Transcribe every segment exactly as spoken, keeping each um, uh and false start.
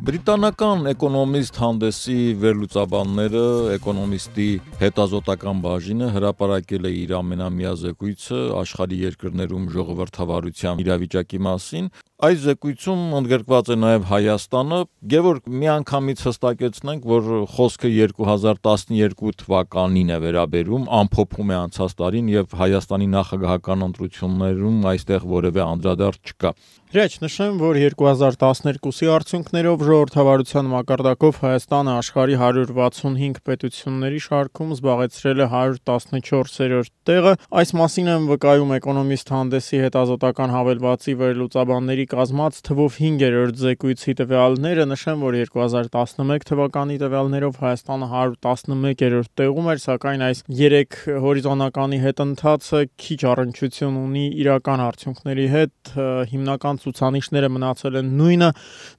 Բրիտանական էկոնոմիստ հանդեսի վերլուծաբանները էկոնոմիստի հետազոտական բաժինը հրապարակել է իր ամենամյա զեկույցը աշխարհի երկրներում ժողովրդավարության իրավիճակի մասին։ Այս զեկույցում ընդգրկված է նաև Հայաստանը, Գևորգ, միանգամից հստակեցնենք, որ խոսքը երկու հազար տասներկու թվականին է վերաբերում, ամփոփում է անցած տարին եւ Հայաստանի նախագահական ընտրություններում այստեղ որևէ անդրադարձ չկա։ Հրաչ նշեմ, որ երկու հազար տասներկուսի արդյունքներով ժողովրդավարության մակարդակով Հայաստանը աշխարհի հարյուր վաթսունհինգ պետությունների շարքում զբաղեցրել է հարյուր տասնչորսերորդ տեղը։ Այս մասին են վկայում էկոնոմիստ հանդեսի հետազոտական հավելվածի վերլուծաբանների կազմած թվով հինգերորդ զեկույցի տվյալները։ Նշեմ, որ երկու հազար տասնմեկ թվականի տվյալներով Հայաստանը հարյուր տասնմեկերորդ տեղում էր, սակայն այս երեք հորիզոնականի հետընթացը քիչ առնչություն ունի իրական արդյունքների հետ։ Հիմնական ցուցանիշները մնացել են նույնը,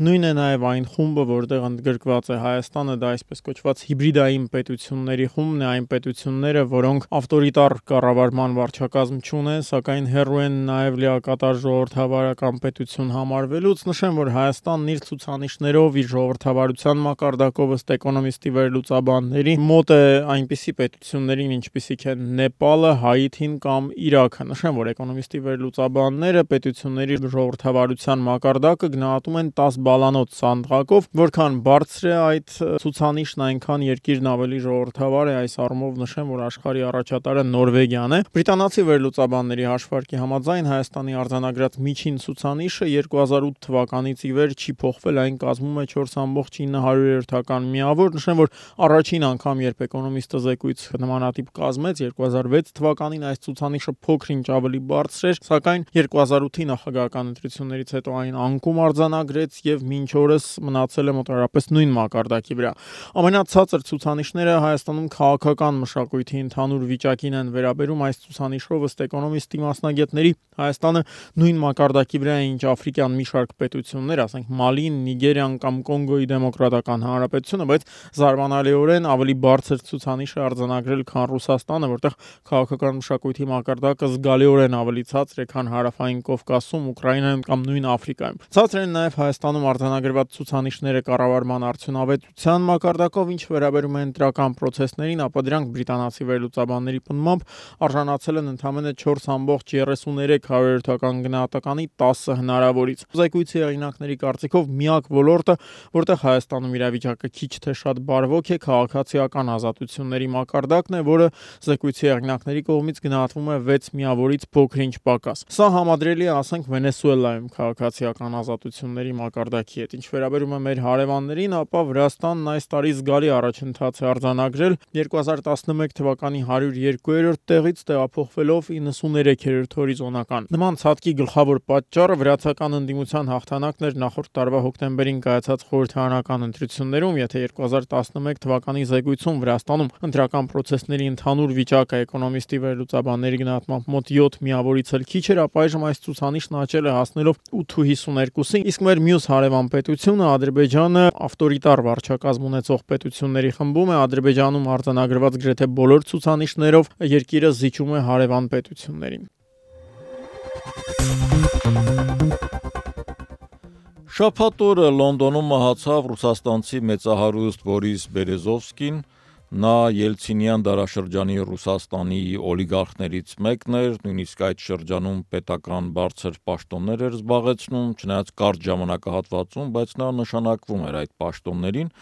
նույնն է նաև այն խումբը, որտեղ ընդգրկված է Հայաստանը, դա այսպես կոչված հիբրիդային պետությունների խումբն է, այն պետությունները, որոնք ավտորիտար կառավարման վարչակազմ չունեն, սակայն հեռու են նաև լիակատար ժողովրդավարական պետություն համարվելուց։ Նշեմ, որ Հայաստանն իր ցուցանիշներով, իր ժողովրդավարության մակարդակով ըստ էկոնոմիստի վերլուծաբանների մոտ է այնպիսի պետություններին, ինչպիսիք են Նեպալը, Հայիթին կամ Իրաքը։ Նշեմ, որ էկոնոմիստի վերլուծաբանները պետությունների ժողովրդավարության մակարդակը գնահատում են տաս բալանոց սանդղակով, որքան բարձր է այդ ցուցանիշն, այնքան երկիրն ավելի ժողովրդավար է։ Այս առումով նշեմ, որ աշխարհի առաջատարը Նորվեգիան է։ Բրիտանացի վերլուծաբանների հաշվարկի համաձայն Հայաստանի արձանագրած միջին ցուցանիշը երկու հազար ութ թվականից ի վեր չի փոխվել, այն կազմում է չորս կόμma ինը միավոր։ Նշեմ, որ առաջին անգամ, երբ էկոնոմիստը զեկույց նմանատիպ կազմեց, երկու հազար վեց թվականին այս ցուցանիշը փոքր-ինչ ավելի բարձր էր, սակայն երկու հազար ութի նախագահական ընտրություններից հետո այն անկում արձանագրեց եւ մինչ օրս մնացել է մոտավորապես նույն մակարդակի վրա։ Ամենացածր ցուցանիշները Հայաստանում քաղաքական մշակույթի ընդհանուր վիճակին են վերաբերում։ Այս ցուցանիշով ըստ էկոնոմիստի մասնագետների Հայաստանը նույն մակարդակի վրա է, ինչ Աֆրիկյան մի շարք պետություններ, ասենք Մալին, Նիգերիան կամ Կոնգոյի դեմոկրատական հանրապետությունը, բայց զարմանալիորեն ավելի բարձր ցուցանիշ է արձանագրել, քան Ռուսաստանը, որտեղ քաղաքական մշակույթի մակարդակը զգալիորեն ավելի ցածր է, քան Հարավային Կովկասում, Ուկրաինայում կամ նույն Աֆրիկայում։ Ցածր են նաև Հայաստանում արձանագրված ցուցանիշները կառավարման արդյունավետության մակարդակով, ինչ վերաբերում է ընտրական պրոցեսներին, ապա դրանք բրիտանացի վերլուծաբանների պնդմամբ արժանացել են ընդամենը չորս կόμma երեսուններեք գնահատականի տասը հնարավորից։ Զեկույցի հեղինակների կարծիքով միակ ոլորտը, որտեղ Հայաստանում իրավիճակը քիչ թե շատ բարվոք է, քաղաքացիական ազատությունների մակարդակն է, որը զեկույցի հեղինակների կողմից գնահատվում է վեց միավորից փոքր-ինչ պակաս։ Սա համադրելի է, ասենք, Վենեսուելայում քաղաքացիական ազատությունների մակարդակի հետ։ Ինչ վերաբերում է մեր հարևաններին, ապա Վրաստանն այս տարի զգալի առաջընթաց է արձանագրել, երկու հազար տասնմեկ թվականի հարյուր երկուերորդ տեղից տեղափոխվելով իննսուներեքերորդ հորիզոնական։ Նման ցածկի գլխավոր պատճառը վրացական ընդդիմության հաղթանակն էր նախորդ տարվա հոկտեմբերին կայացած խորհրդարանական ընտրություններում։ Եթե երկու հազար տասնմեկ թվականի զեկույցում Վրաստանում ընտրական պրոցեսների ընդհանուր վիճակը էկոնոմիստի վերլուծաբանների գնահատմամբ մոտ յոթ միավորից էլ քիչ էր, ապա այժմ այս ցուցանիշն աճել է հասնելով ութ կόμma հիսուներկուսի, իսկ մեր մյուս հարևան պետությունը Ադրբեջանը ավտորիտար վարչակազմ ունեցող պետությունների խմբում է։ Ադրբեջանում արձանագրված գրեթե բոլոր ցուցանիշներով երկիրը զիջում է հարևան պետություններին։ Շաբաթ օրը Լոնդոնում մահացավ ռուսաստանցի մեծահարուստ Բորիս Բերեզովսկին։ Նա Ելցինյան դարաշրջանի Ռուսաստանի օլիգարխներից մեկն էր, նույնիսկ այդ շրջանում պետական բարձր պաշտոններ էր զբաղեցնում, չնայած կարճ ժամանակահատվածում, բայց նա նշանակվում էր այդ պաշտոններին։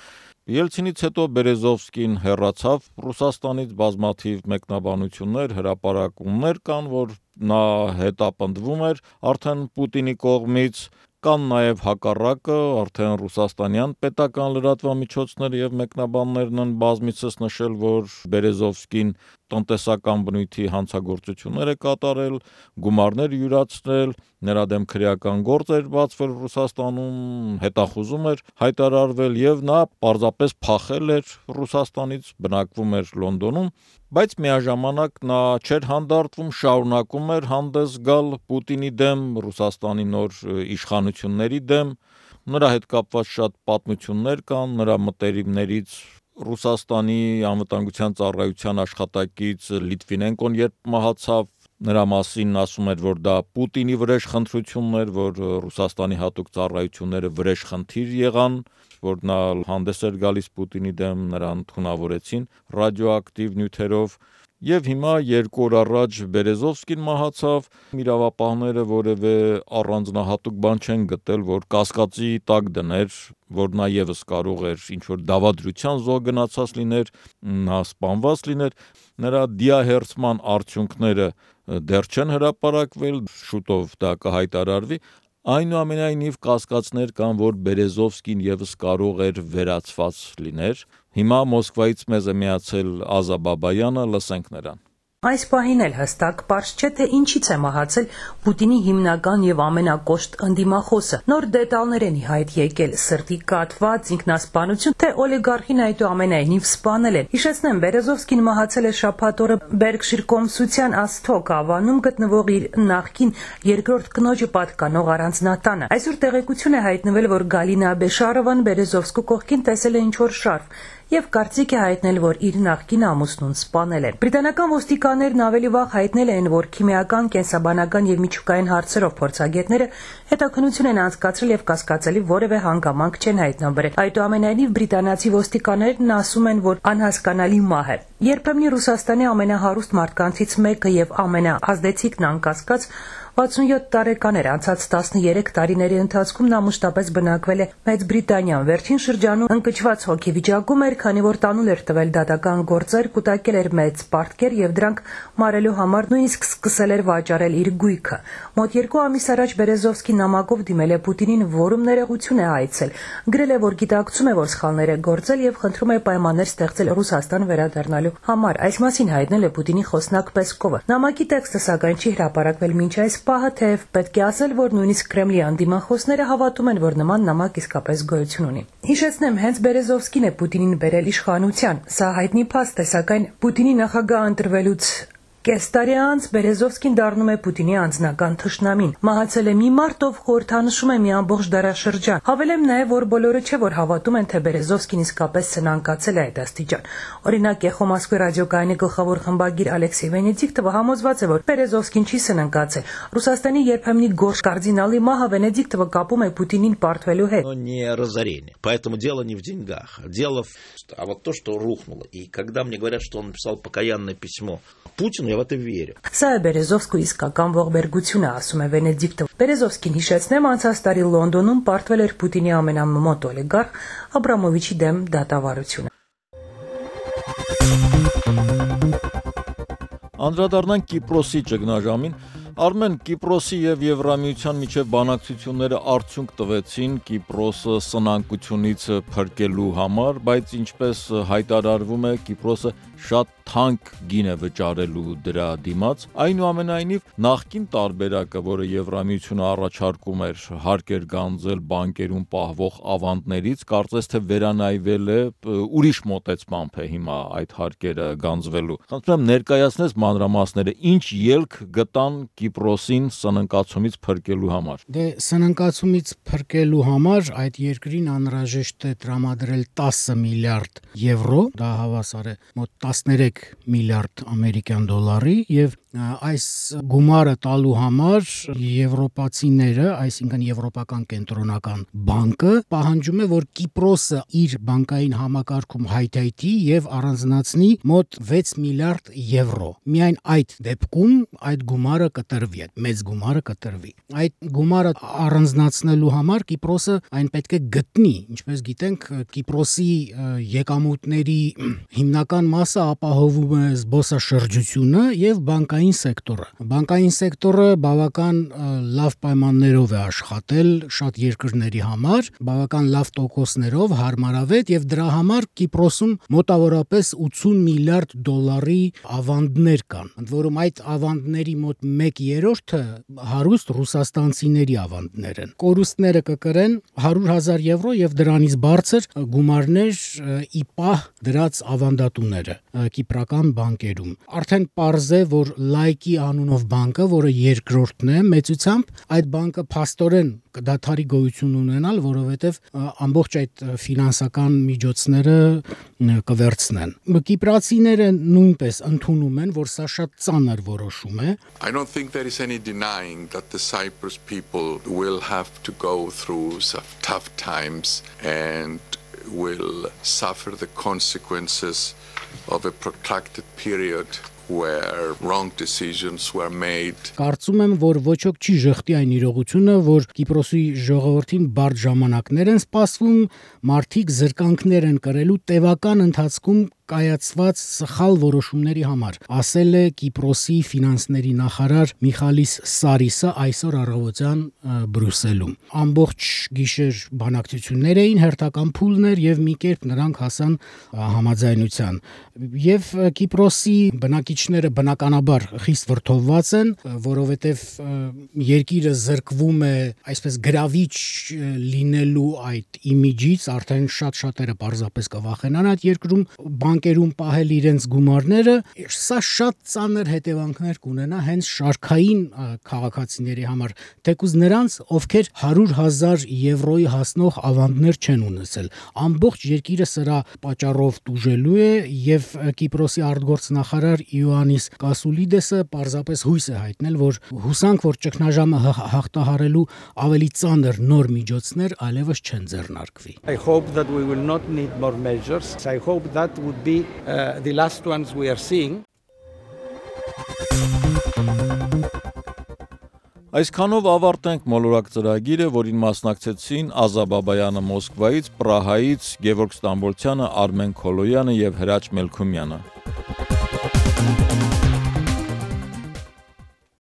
Ելցինից հետո Բերեզովսկին հեռացավ Ռուսաստանից, բազմաթիվ մեկնաբանություններ, հրապարակումներ կան, որ նա հետապնդվում էր արդեն Պուտինի կողմից, կան նաև հակառակը, արդեն ռուսաստանյան պետական լրատվամիջոցները եւ մեկնաբաններն են բազմիցս նշել, որ Բերեզովսկին տնտեսական բնույթի հանցագործություններ է կատարել, գումարներ յուրացրել, նրա դեմ քրեական գործ էր բացվել Ռուսաստանում, հետախուզում էր հայտարարվել եւ նա պարզապես փախել էր Ռուսաստանից, բնակվում էր Լոնդոնում, բայց միաժամանակ նա չէր հանդարտվում, շարունակում էր հանդես գալ Պուտինի դեմ, Ռուսաստանի նոր իշխանությունների դեմ։ Նրա հետ կապված շատ պատմություններ կան, նրա մտերիմներից Ռուսաստանի անվտանգության ծառայության աշխատակից Լիտվինենկոն երբ մահացավ, Նրա մասին ասում էր, որ դա Պուտինի վրեժ խնդրությունն էր, որ Ռուսաստանի հատուկ ծառայությունները վրեժ խնդիր եղան, որ նա հանդես էր գալիս Պուտինի դեմ, նրան թունավորեցին ռադիոակտիվ նյութերով։ Եվ հիմա երկու օր առաջ Բերեզովսկին մահացավ, իրավապահները որևէ առանձնահատուկ բան չեն գտել, որ կասկածի տակ դներ, որ նա ևս կարող էր ինչ-որ դավադրության զոհ գնացած լիներ, նա սպանված լիներ, նրա դիահերձման արդյունքները դեռ չեն հրապարակվել, շուտով դա կհայտարարվի, այնուամենայնիվ կասկածներ կան, որ Բերեզովսկին ևս կարող էր վերացված լիներ։ Հիմա Մոսկվայից մեզ է միացել Ազա Բաբայանը, լսենք նրան։ Այս պահին էլ հստակ պարզ չէ, թե ինչից է մահացել Պուտինի հիմնական եւ ամենակոշտ ընդդիմախոսը։ Նոր դետալներ են ի հայտ եկել՝ սրտի կաթված, ինքնասպանություն, թե օլիգարխին այդուամենայնիվ սպանել են։ Հիշեցնեմ, Բերեզովսկին մահացել է շաբաթ օրը Բերգշիր կոմսության Ասթոկ ավանում գտնվող իր նախկին երկրորդ կնոջը պատկանող առանձնատանը։ Այսօր տեղեկություն է հայտնվել, որ Գալինա Բեշարովան Բերեզովսկու կողքին տեսել է ինչ-որ շարֆ եւ կարծիք է հայտնել, որ իր նախկին ամուսնուն սպանել են։ Բրիտանական ոստիկաններն ավելի վաղ հայտնել են, որ քիմիական, կենսաբանական եւ միջուկային հարցերով փորձագետները հետաքննություն են անցկացրել եւ կասկածելի որևէ հանգամանք չեն հայտնաբերել։ Այդուամենայնիվ բրիտանացի ոստիկաններն ասում են, որ անհասկանալի մահ է։ Երբեմն Ռուսաստանի ամենահարուստ մարդկանցից մեկը եւ ամենաազդեցիկն անկասկած վաթսունյոթ տարեկան էր, անցած տասներեք տարիների ընթացքում նա մշտապես բնակվել է Մեծ Բրիտանիայում։ Վերջին շրջանում ընկճված հոգեվիճակում էր, քանի որ տանուլ էր տվել դատական գործեր, կուտակել էր մեծ պարտքեր եւ դրանք մարելու համար նույնիսկ սկսել էր վաճառել իր գույքը։ Մոտ երկու ամիս առաջ Բերեզովսկին նամակով դիմել է Պուտինին, որում ներողություն է հայցել։ Գրել է, որ գիտակցում է, որ սխալներ է գործել եւ խնդրում է պայմաններ ստեղծել Ռուսաստան վերադառնալու համար։ Այս մասին հայտնել է Պուտինի խոսնակ Պեսկովը։ Նամակի տեքստը սակայն չի հրապարակվել մինչ այս պահը, թեև պետք է ասել, որ նույնիսկ Կրեմլի անդիմախոսները հավատում են, որ նման նամակ իսկապես գոյություն ունի։ Հիշեցնեմ, հենց Բերեզովսկին է Պուտինին բերել իշխանության։ Սա հայտնի փաստ է, սակայն Պուտինի նախագահ ընտրվելուց կես տարի անց Բերեզովսկին դառնում է Պուտինի անձնական թշնամին։ Մահացել է մի մարդ, ով խորհրդանշում է մի ամբողջ դարաշրջան։ Հավելեմ նաև, որ բոլորը չէ, որ հավատում են, թե Բերեզովսկին իսկապես սնանկացել է այդ աստիճան։ Օրինակ, Էխո Մոսկվի ռադիոկայանի գլխավոր խմբագիր Ալեքսեյ Վենեդիկտովը համոզված է, որ Բերեզովսկին չի սնանկացել։ Ռուսաստանի երբեմնի գորշ կարդինալի մահը Վենեդիկտովը կապում է Պուտինին պարտվելու հետ։ Не разорение. Поэтому дело не в деньгах. Дело в... А вот то, что рухнуло. И когда мне говорят, что он написал покаянное письмо Путину, я в это верю. Սա է Բերեզովսկու իսկական ողբերգությունը, ասում է Վենեդիկտովը։ Բերեզովսկին, հիշեցնեմ, անցած տարի Լոնդոնում պարտվել էր Պուտինի ամենամոտ օլիգարխ Աբրամովիչի դեմ դատավարությունը։ Անդրադառնանք Կիպրոսի ճգնաժամին։ Արմեն, Կիպրոսի եւ Եվրամիության միջև բանակցությունները արդյունք տվեցին Կիպրոսը սնանկությունից փրկելու համար, բայց ինչպես հայտարարվում է, Կիպրոսը շատ թանկ գին է վճարելու դրա դիմաց։ Այնուամենայնիվ, նախկին տարբերակը, որը Եվրամիությունը առաջարկում էր, հարկ էր գանձել բանկերում պահվող ավանդներից, կարծես թե վերանայվել է ուրիշ մոտեցմամբ է հիմա այդ հարկերը գանձվելու։ Խնդրում եմ ներկայացնես մանրամասները, ինչ ելք գտան Կիպրոսին սնանկացումից փրկելու համար։ Դե սնանկացումից փրկելու համար այդ երկրին անհրաժեշտ է տրամադրել տասը միլիարդ եվրո, դա հավասար է մոտ տասներեք միլիարդ ամերիկյան դոլարի, եւ այս գումարը տալու համար եվրոպացիները, այսինքն Եվրոպական կենտրոնական բանկը պահանջում է, որ Կիպրոսը իր բանկային համակարգում հայթայթի եւ առանձնացնի մոտ վեց միլիարդ եվրո։ Միայն այդ դեպքում այդ գումարը կտրվի, այդ մեծ գումարը կտրվի։ Այդ գումարը առանձնացնելու համար Կիպրոսը այն պետք է գտնի, ինչպես գիտենք, Կիպրոսի եկամուտների հիմնական մասը ապահովում է զբոսաշրջությունը եւ բանկային սեկտորը։ Բանկային սեկտորը բավական լավ պայմաններով է աշխատել շատ երկրների համար, բավական լավ տոկոսներով, հարմարավետ, եւ դրա համար Կիպրոսում մոտավորապես ութսուն միլիարդ դոլարի ավանդներ կան, ընդ որում այդ ավանդների մոտ մեկ երրորդը հարուստ ռուսաստանցիների ավանդներ են։ Կորուստները կկրեն հարյուր հազար եվրո եւ դրանից բարձր գումարներ ի պահ դրած ավանդատուները կիպրական բանկերում։ Արդեն պարզ է, որ Լայկի անունով բանկը, որը երկրորդն է մեծությամբ, այդ բանկը փաստորեն կդադարի գոյություն ունենալ, որովհետև ամբողջ այդ ֆինանսական միջոցները կվերցնեն։ Կիպրացիները նույնպես ընդունում են, որ սա շատ ծանր որոշում է։ I don't think there is any denying that the Cyprus people will have to go through some tough times and will suffer the consequences of a protracted period where wrong decisions were made. Կարծում եմ, որ ոչ ոք չի ժխտի այն իրողությունը, որ Կիպրոսի ժողովրդին բարդ ժամանակներ են սպասվում, մարդիկ զրկանքներ են կրելու տևական ընթացքում կայացված սխալ որոշումների համար, ասել է Կիպրոսի ֆինանսների նախարար Միխալիս Սարիսը այսօր առավոտյան Բրյուսելում։ Ամբողջ գիշեր բանակցություններ էին, հերթական փուլներ եւ մի կերպ նրանք հասան համաձայնության։ Եվ Կիպրոսի բնակիչները բնականաբար խիստ վրդովված են, որովհետեւ երկիրը զրկվում է այսպես գրավիչ լինելու այդ իմիջից, արդեն շատ շատերը պարզապես կվախենան այդ երկրում բանկերում պահել իրենց գումարները, սա շատ ծանր հետևանքներ կունենա հենց շարքային քաղաքացիների համար, թեկուզ նրանց, ովքեր հարյուր հազար եվրոյի հասնող ավանդներ չեն ունեցել։ Ամբողջ երկիրը սրա պատճառով տուժելու է եւ Կիպրոսի արտգործնախարար Իոաննիս Կասուլիդեսը պարզապես հույս է հայտնել, որ հուսանք, որ ճգնաժամը հաղթահարելու ավելի ծանր նոր միջոցներ այլևս չեն ձեռնարկվի։ I hope that we will not need more measures. I hope that would be uh, the last ones we are seeing. Այսքանով ավարտենք մոլորակ ծրագիրը, որին մասնակցեցին Ազա Բաբայանը Մոսկվայից, Պրահայից, Գևորգ Ստամբոլցյանը, Արմեն Քոլոյանը եւ Հրաչ Մելքումյանը։